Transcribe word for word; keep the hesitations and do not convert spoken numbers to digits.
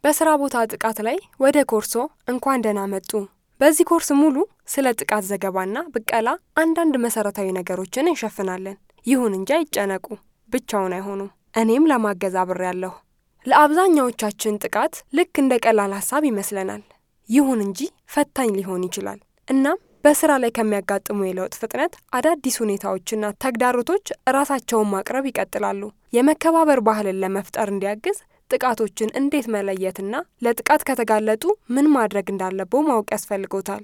በስራ ቦታ ጥቃት ላይ ወደ ኮርሶ እንኳን ደህና መጡ። በዚህ ኮርስ ሙሉ ስለ ጥቃት ዘገባና ብቀላ አንዳንድ መሰረታዊ ነገሮችን እንሸፍናለን። ይሁን እንጂ አይጨነቁ፣ ብቻውን አይሆኑም። እኔም ለማገዝ አብሬያለሁ። ለአብዛኛዎቻችን ጥቃት ልክ እንደ ቀላል ሐሳብ ይመስለናል። ይሁን እንጂ ፈታኝ ሊሆን ይችላል። እናም በስራ ላይ ከሚያጋጥሙ የለውጥ ፍጥነት አዳዲስ ሁኔታዎችና ተግዳሮቶች ራሳቸውን ማቅረብ ይቀጥላሉ። የመከባበር ባህልን ለመፍጠር እንዲያግዝ ጥቃቶችን እንዴት መለየትና ለጥቃት ከተጋለጡ ምን ማድረግ እንዳለበው ማወቅ ያስፈልጎታል።